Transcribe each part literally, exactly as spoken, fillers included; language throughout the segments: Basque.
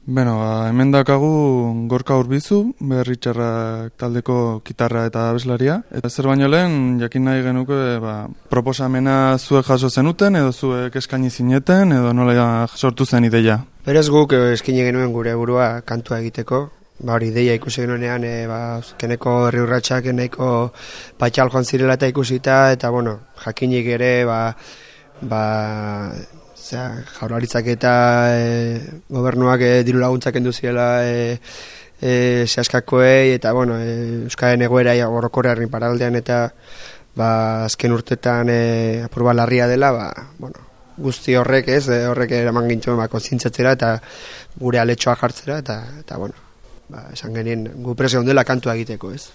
Beno, ba, hemen dakagu Gorka Urbizu, Berritxarrak taldeko gitarra eta abeslaria. Eta zer baino lehen, jakin nahi genuke, ba, proposamena zuek jaso zenuten, edo zuek eskaini zineten, edo nola sortu zen ideia? Berez guk eskaini genuen gure burua kantua egiteko. Ba hori ideia ikusi genuenean, e, ba, keneko herri urratsak nahiko patxal joan zirela eta ikusita, eta bueno, jakinik ere, ba, ba, Zea, jaurlaritzak eta e, gobernuak e, diru laguntzak kendu ziela e, e, zehaskakoei eta bueno, e, Euskaren egoera orokorrean paraldean eta ba, azken urtetan e, apurba larria dela, ba, bueno, guzti horrek ez, e, horrek eraman gintuen ba, konzintzatzera eta gure aletxoa jartzera eta, eta bueno, ba, esan genien gu presio ondela kantua egiteko ez.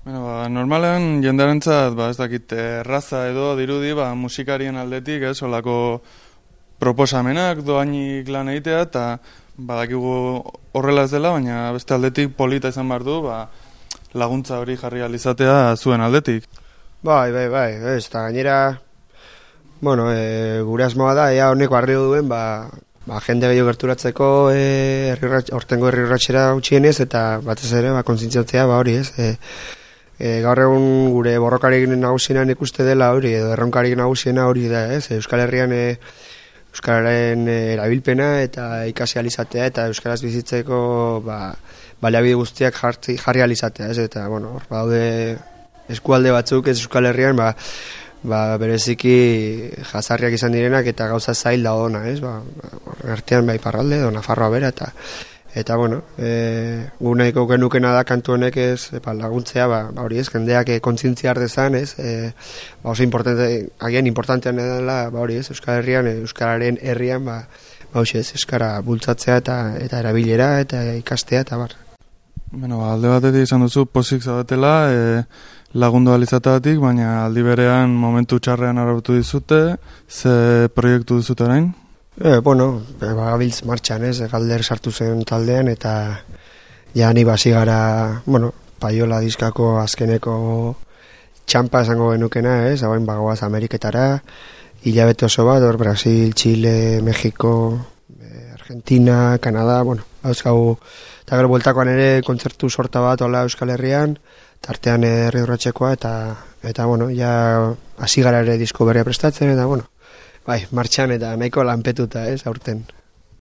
Bueno, ba, normalean jendarentzat, ba, ez dakit, erraza edo dirudi, ba, musikarien aldetik, ez, olako proposamenak doainik lan egitea, eta badakigu horrela ez dela, baina beste aldetik polita izan behar du, ba, laguntza hori jarri alizatea zuen aldetik. Bai, bai, bai, ez, eta gainera, bueno, e, gure asmoa da, ea honeko arrio duen, ba, ba, jende gehiago gerturatzeko e, hortengo herri urratxera utxienez, eta batez ere, ba, kontzintzatzea, ba, hori, ez, e, E, gaur egun gure borrokarik nagusienan ikuste dela hori, edo erronkarik nagusiena hori da, ez? Euskal Herrian e, Euskararen e, erabilpena eta ikasi alizatea eta Euskaraz bizitzeko ba, baliabide guztiak jarri, jarri alizatea, ez? Eta, bueno, hor badaude eskualde batzuk ez Euskal Herrian, ba, ba, bereziki jazarriak izan direnak eta gauza zail da ona, ez? Ba, artean bai Iparralde, edo Nafarroa bera, eta Eta, bueno, e, gu nahiko genukena da kantu honek ez, epa, laguntzea, ba, ba hori ez, jendeak e, kontzintzia ardezan, ez, e, ba oso importante, agian importantean dela, ba hori ez, Euskal Herrian, e, Euskararen herrian, ba, ba hori ez, Euskara bultzatzea eta eta erabilera eta ikastea, eta bar. Bueno, alde batetik izan duzu, pozik zabatela, e, lagundu alizatatik, baina aldi berean momentu txarrean arautu dizute, ze proiektu dizute orain? E, bueno, bagabiltz martxan ez, Galder sartu zen taldean eta ja ni basi gara, bueno, Paiola diskako azkeneko txampa esango genukena ez, hauen bagoaz Ameriketara, hilabete oso bat, hor Brasil, Chile, Mexiko, Argentina, Kanada, bueno, hauzkau, eta gero bueltakoan ere kontzertu sorta bat hola Euskal Herrian, tartean herri urratxekoa eta, eta bueno, ja hasi gara ere disko berria prestatzen eta bueno, bai, martxan eta nahiko lanpetuta, ez, aurten.